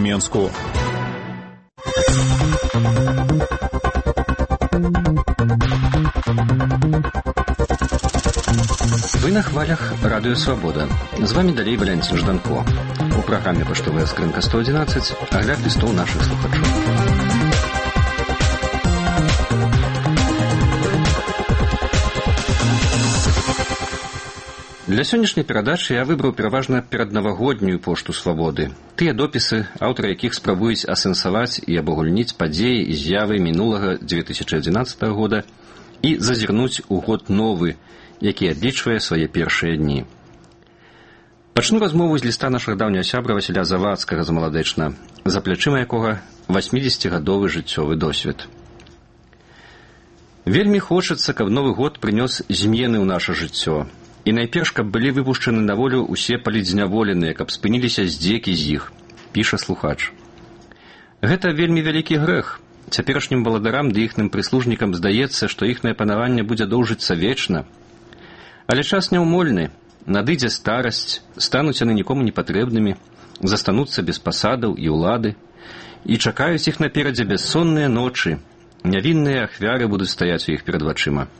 Зменску. Вы на хвалях Радио Свобода. З вами далей Валянцін Жданко. У праграме «Паштовая скрынка 111» агляд лістоў нашых слухачоў. Для сённяшняй перадачы я выбраў пераважна пераднавагоднюю пошту свабоды. Тыя допісы, аўтары якіх спрабуюць асэнсаваць і абагульніць падзеі і з'явы мінулага 2011 года і зазірнуць у год новы, які адлічвае свае першыя дні. Пачну размову з ліста нашага даўняга сябра Васіля Завадскага з Маладэчна, за плячыма якога 80-гадовы жыццёвы досвед. Вельмі хочацца, каб новы год прынёс змены ў наша жыццё. І найперш, каб былі выпушчаны на волю ўсе палітзняволеныя, каб спыніліся здзекі з іх, піша слухач. Гэта вельмі вялікі грэх. Цяперашнім валадарам ды іхным прыслужнікам здаецца, што іхнае панаванне будзе доўжыцца вечна. Але час няўмольны, надыдзе старасць, стануць яны нікому не патрэбнымі, застануцца без пасадаў і ўлады, і чакаюць іх наперадзе бяссонныя ночы, нявінныя ахвяры будуць стаяць у іх перад вачыма.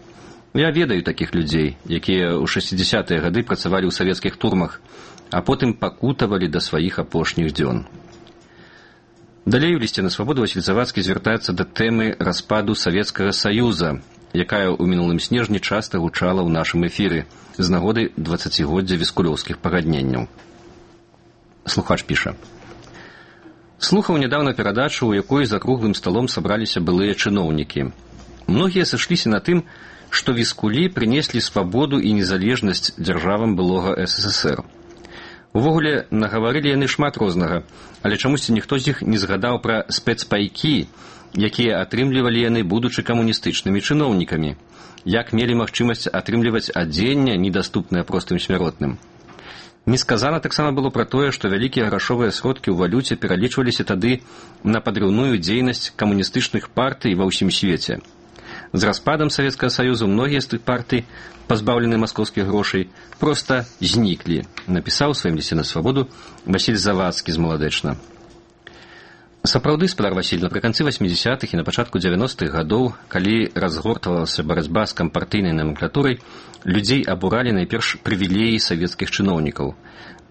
Я ведаю такіх людзей, якія ў 60-е гады працавалі ў савецкіх турмах, а потым пакутавалі да сваіх апошніх дзён. Далей у лісце на свабоду Васіль Завадскі звяртаецца да тэмы распаду Савецкага Саюза, якая ў мінулым снежні часта гучала ў нашым эфіры з нагоды 20-годдзя віскулёўскіх пагадненняў. Слухач піша. Слухаў нядаўна перадачу, у якой за круглым сталом сабраліся былыя чыноўнікі. Многія сышліся на тым, што віскулі прынеслі свабоду і незалежнасць дзяржавам былога СССР. Увогуле, нагаварылі яны шмат рознага, але чамусьці ніхто з іх не згадаў пра спецпайкі, якія атрымлівалі яны, будучы камуністычнымі чыноўнікамі, як мелі магчымасць атрымліваць адзенне, недаступнае простым смяротным. Не сказана таксама было пра тое, што вялікія грашовыя сродкі ў валюце пералічваліся тады на падрыўную дзейнасць камуністычных партый ва ўсім свеце. З распадам Савецкага Саюзу многія з тых партый, пазбаўленыя маскоўскіх грошай, проста зніклі, напісаў у сваім лісце на свабоду Васіль Завадскі з Маладэчна. Сапраўды, спадар Васіль, напрыканцы 80-х і на пачатку 90-х гадоў, калі разгортвалася барацьба з кампартыйнай номенклатурай, людзей абуралі найперш прывілеі савецкіх чыноўнікаў.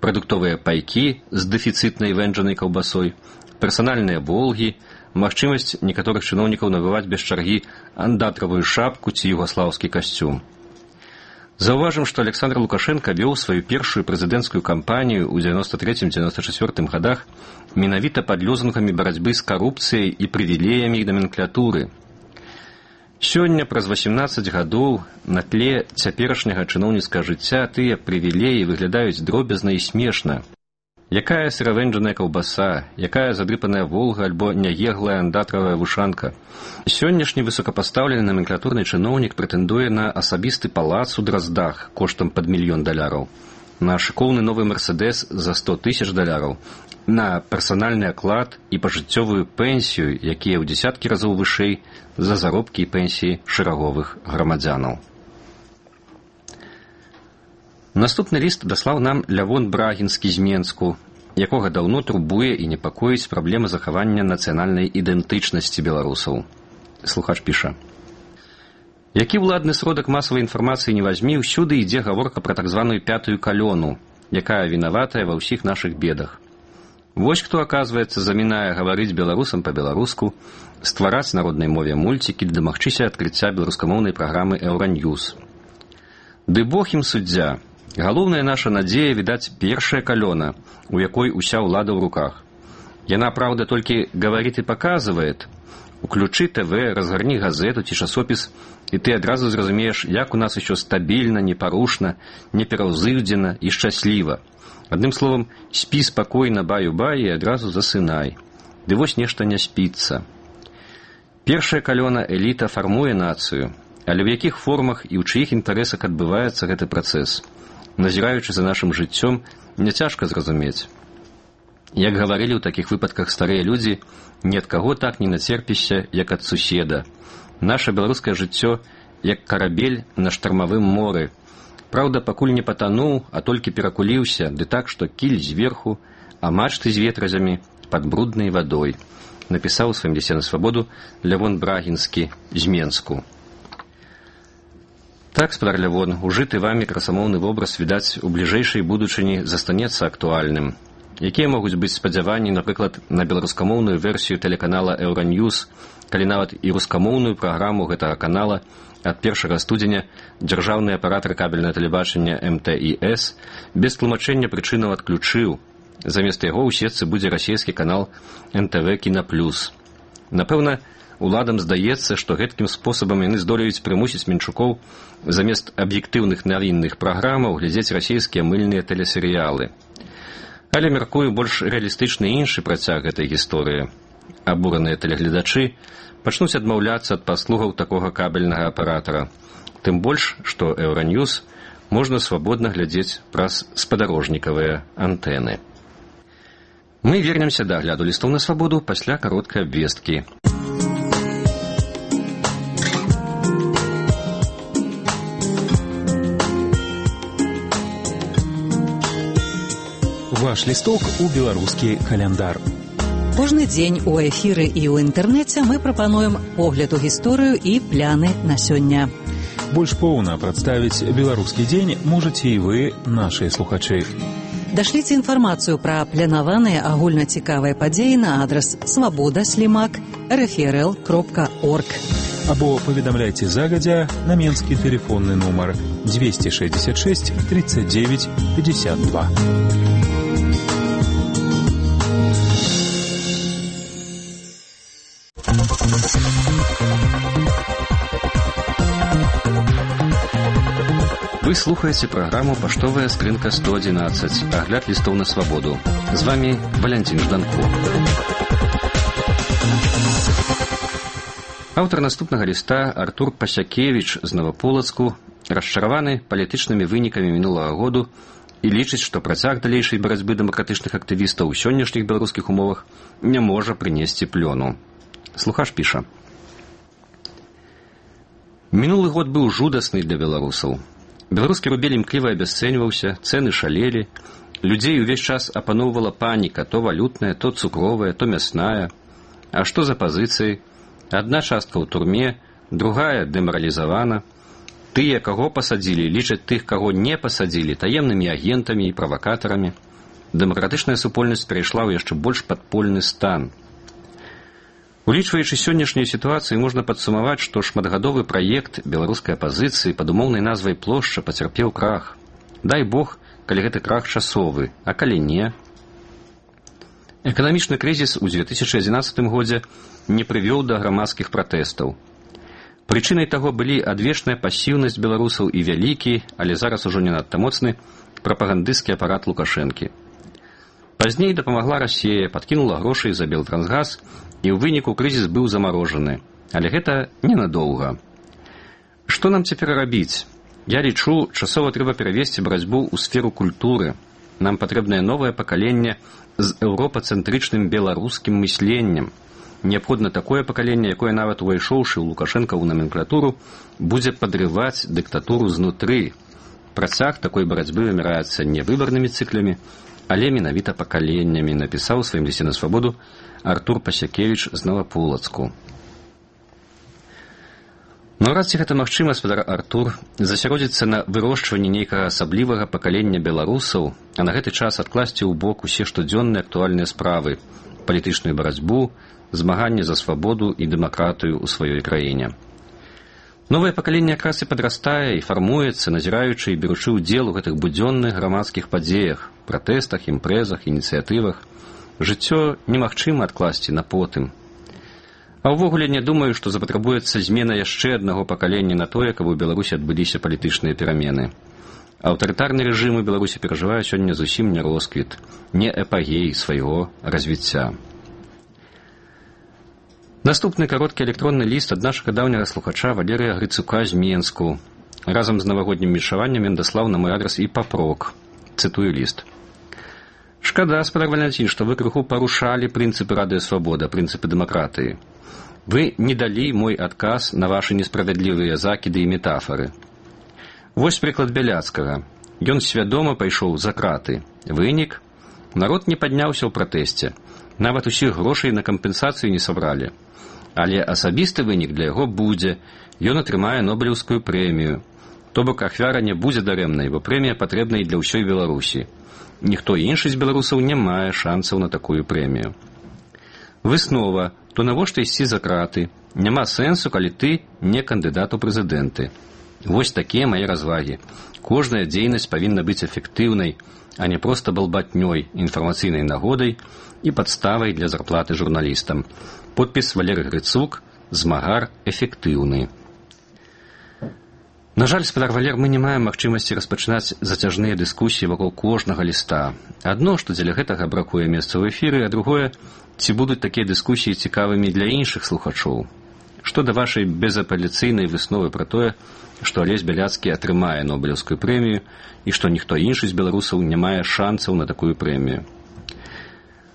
Прадуктовыя пайкі з дэфіцытнай вэнджанай каўбасой, персанальныя волгі, магчымасць некаторых чыноўнікаў набываць без чаргі андатравую шапку ці югаслаўскі касцюм. Заўважым, што Александр Лукашенко вёў сваю першую прэзідэнцкую кампанію ў 93-94 гадах менавіта пад лёзунгамі барацьбы з карупцыяй і прывілеямі номенклатуры. Сёння, праз 18 гадоў, на тле цяперашняга чыноўніцкага жыцця тыя прывілеі выглядаюць дробязна і смешна. Якая сыравэнджаная каўбаса, якая задрыпаная волга альбо няеглая андатравая вушанка. Сённяшні высокапастаўлены номенклатурны чыноўнік прэтэндуе на асабісты палац у Драздах коштам пад $1 000 000, на шыкоўны новы Мерседес за $100 000, на персанальны аклад і пажыццёвую пенсію, якія ў дзесяткі разоў вышэй за заробкі і пенсіі шэраговых грамадзянаў. Наступны ліст даслаў нам Лявон Брагінскі з Менску, якога даўно турбуе і непакоіць праблема захавання нацыянальнай ідэнтычнасці беларусаў. Слухач піша. Які ўладны сродак масавай інфармацыі не вазьмі, ўсюды ідзе гаворка пра так званую пятую калёну, якая вінаватая ва ўсіх нашых бедах. Вось хто, аказваецца, замінае гаварыць беларусам па-беларуску, ствараць на роднай мове мульцікі ды дамагчыся адкрыцця беларускамоўнай праграмы «Еўраньюз». Ды Бог ім суддзя. Галоўная наша надзея, відаць, першая калёна, у якой уся ўлада ў руках. Яна, праўда, толькі гаварыць і паказвае. Уключы ТВ, разгарні газету ці часопіс, і ты адразу зразумееш, як у нас усё стабільна, непарушна, непераўзыўдзена і шчасліва. Адным словам, спі спакойна, баю-бай, і адразу засынай. Ды вось нешта не спіцца. Першая калёна эліта фармуе нацыю, але ў якіх формах і ў чыіх інтарэсах адбываецца гэты працэс? Назіраючы за нашым жыццём, няцяжка зразумець. Як гаварылі ў такіх выпадках старыя людзі, ні ад каго так не нацерпішся, як ад суседа. Наша беларускае жыццё, як карабель на штармавым моры. Праўда, пакуль не патануў, а толькі перакуліўся, ды так, што кіль зверху, а мачты з ветразямі, под брудной водой, написал в своем листе на свободу Лявон Брагінскі з Менску. Так, спадар Лявон, ужыты вами красамоўны вобраз, відаць, у бліжэйшай будучыні застанецца актуальным. Якія могуць быць спадзяванні, напрыклад, на беларускамоўную версію тэлеканала «Еўраньюз», калі нават і рускамоўную праграму гэтага канала ад 1 студзеня дзяржаўны аператар кабельнае тэлебачання МТІС без тлумачэння прычынаў адключыў. Замест яго ў сетцы будзе расійскі канал НТВ Кінаплюс. Напэўна, уладам здаецца, што гэткім спосабам яны здолеюць прымусіць менчукоў замест аб'ектыўных навінных праграмаў глядзець расійскія мыльныя тэлесерыялы. Але, мяркую, больш рэалістычны іншы працяг гэтай гісторыі. Абураныя тэлегледачы пачнуць адмаўляцца ад паслугаў такога кабельнага аператара. Тым больш, што «Еўраньюз» можна свабодна глядзець праз спадарожнікавыя антэны. Мы вернемся да агляду лістоў на свабоду пасля кароткай абвесткі. Ваш лісток у беларускі каляндар. Кожны дзень у эфіры і ў інтэрнэце мы прапануем погляд у гісторыю і пляны на сёння. Больш поўна прадставіць беларускі дзень можаце і вы, нашыя слухачы. Дашліце інфармацыю пра планаваныя агульнацікавыя падзеі на адрас svoboda@rfrl.org або паведамляйце загадзя на менскі тэлефонны нумар 266 39 52. Вы слухаеце праграму «Паштовая скрынка 111», агляд лістоў на свабоду. З вами Валянцін Жданко. Аўтар наступнага ліста Артур Пасякевіч з Новаполацку расчараваны палітычнымі вынікамі мінулага году і лічыць, што працяг далейшай барацьбы дэмакратычных актывістаў у сённяшніх беларускіх умовах не можа прынесці плёну. Слухач піша: «Мінулы год быў жудасны для беларусаў. Беларускі рубель імкліва абясцэньваўся, цэны шалелі, людзей увесь час апаноўвала паніка, то валютная, то цукровая, то мясная. А што за пазіцыі? Адна частка ў турме, другая дэмаралізавана. Тыя, каго пасадзілі, лічаць тых, каго не пасадзілі, таемнымі агентамі і правакатарамі. Дэмакратычная супольнасць перайшла ў яшчэ больш падпольны стан. Улічваючы сённяшнюю сітуацыю, можна падсумаваць, што шматгадовы праект беларускай апазіцыі пад умоўнай назвай «Плошча» пацярпеў крах. Дай Бог, калі гэты крах часовы, а калі не. Эканамічны крызіс у 2011 годзе не прывёў да грамадскіх пратэстаў. Прычынай таго былі адвечная пасіўнасць беларусаў і вялікі, але зараз ужо не надта моцны, прапагандысцкі апарат Лукашэнкі. Пазней дапамагла Расія, падкінула грошай за Белтрансгаз, і ў выніку крызіс быў замарожаны. Але гэта ненадоўга. Што нам цяпер рабіць? Я лічу, часова трэба перавесці барацьбу ў сферу культуры. Нам патрэбнае новае пакаленне з еўропацэнтрычным беларускім мысленнем. Неабходна такое пакаленне, якое нават увайшоўшы ў Лукашэнкаву наменклатуру, будзе падрываць дыктатуру знутры. Працяг такой барацьбы вымяраецца не выбарнымі цыклямі, але менавіта пакаленнямі, напісаў у сваім лісце на свабоду Артур Пасякевіч з Новаполацку. Наўрад ці гэта магчыма, спадар Артур, засяродзіцца на вырошчванні нейкага асаблівага пакалення беларусаў, а на гэты час адкласці ў бок усе штодзённыя актуальныя справы, палітычную барацьбу, змаганне за свабоду і дэмакратыю ў сваёй краіне. Новае пакаленне якраз і падрастае і фармуецца, назіраючы і беручы ўдзел у гэтых будзённых грамадскіх падзеях, пратэстах, імпрэзах, ініцыятывах. Жыццё немагчыма адкласці на потым. А ўвогуле не думаю, што запатрабуецца змена яшчэ аднаго пакалення на тое, каб у Беларусі адбыліся палітычныя перамены. Аўтарытарны рэжым у Беларусі перажывае сёння зусім не росквіт, не эпагей свайго развіцця. Наступны кароткі электронны ліст ад нашага даўняга слухача Валерыя Грыцука з Менску. Разам з навагоднім віншаваннем ён даслаў на мой адрас і папрок. Цытую ліст. «Шкада, спадар Валянцін, што вы крыху парушалі прынцыпы радыёсвабода, прынцыпы дэмакратыі. Вы не далі мой адказ на вашы несправядлівыя закіды і метафары. Вось прыклад Бяляцкага. Ён свядома пайшоў за краты. Вынік? Народ не падняўся ў пратэсце. Нават усіх грошай на кампенсацыю не сабралі. Але асабісты вынік для яго будзе. Ён атрымае Нобелеўскую прэмію. То бок ахвяра не будзе дарэмнай, бо прэмія патрэбна і для ўсёй Беларусі. Ніхто іншы з беларусаў не мае шансаў на такую прэмію. Выснова, то навошта ісці за краты? Няма сэнсу, калі ты не кандыдат у прэзідэнты. Вось такія мае развагі. Кожная дзейнасць павінна быць эфектыўнай, а не проста балбатнёй, інфармацыйнай нагодай і падставай для зарплаты журналістам. Подпіс Валерый Грыцук, змагар эфектыўны. На жаль, спадар Валер, мы не маем магчымасці распачынаць зацяжныя дыскусіі вакол кожнага ліста. Адно, што дзеля гэтага бракуе месца ў эфіры, а другое, ці будуць такія дыскусіі цікавымі для іншых слухачоў. Што да вашай безапеляцыйнай высновы пра тое, што Алесь Бяляцкі атрымае Нобелеўскую прэмію і што ніхто іншы з беларусаў не мае шансаў на такую прэмію.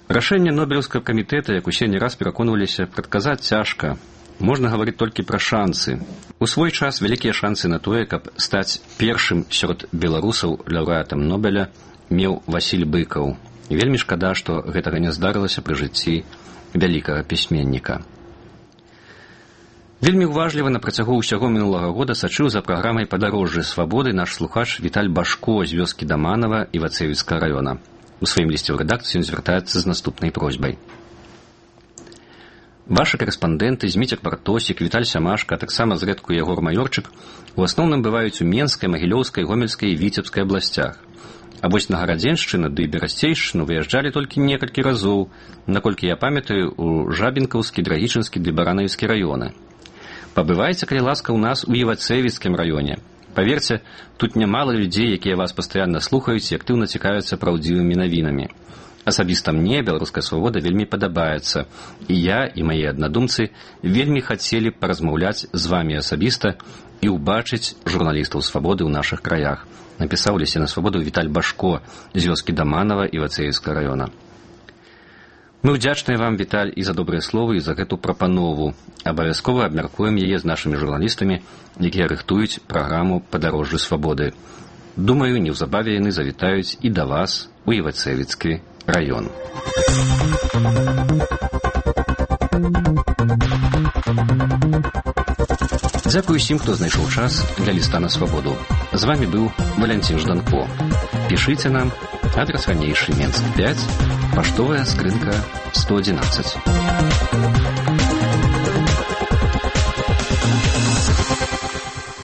Рашэнне Нобелеўскага камітэта, як усе не раз пераконваліся, прадказаць цяжка. Можна гаварыць толькі пра шансы. У свой час вялікія шансы на тое, каб стаць першым сярод беларусаў лаўрэатам Нобеля меў Васіль Быкаў. І вельмі шкада, што гэтага не здарылася пры жыцці вялікага пісьменніка. Вельмі уважліва на працягу ўсяго мінулага года сачыў за праграмай «Падарожжы свабоды» наш слухач Віталь Башко з вёскі Даманова Івацэвіцкага района. У сваім лісце ў рэдакцыю ён звяртаецца з наступнай просьбай. Ваши карэспандэнты Зміцер Бартосік, Віталь Сямашка, а таксама зрэдку Ягор Маёрчык у асноўным бываюць у Менскай, Магілёўскай, Гомельскай і Віцебскай абласцях. А вось на Гарадзеншчыну ды Берасцейшчыну выязджалі толькі некалькі разоў, наколькі я памятаю, у Жабінкаўскі, Драгічынскі ды Баранавіцкі раёны. Пабывайце, калі ласка, у нас у Івацэвіцкім раёне. Паверце, тут нямала людзей, якія вас пастаянна слухаюць і актыўна цікавяцца праўдзівымі навінамі. Асабіста мне беларуская свабода вельмі падабаецца, і я, і мае аднадумцы вельмі хацелі паразмаўляць з вамі асабіста і ўбачыць журналістаў свабоды ў нашых краях, напісаў у лісце на свабоду Віталь Башко з вёскі Даманова Івацэвіцкага раёна. Мы ўдзячныя вам, Віталь, і за добрыя словы, і за гэту прапанову. Абавязкова абмяркуем яе з нашымі журналістамі, якія рыхтуюць праграму «Падарожжы свабоды». Думаю, неўзабаве яны завітаюць і да вас у Івацэвіцкі раён. Дзякуй усім, хто знайшоў час для ліста на свабоду. З вами быў Валянцін Жданко. Пішыце нам, адрес ранейшы, Менск 5, паштовая скрынка 111.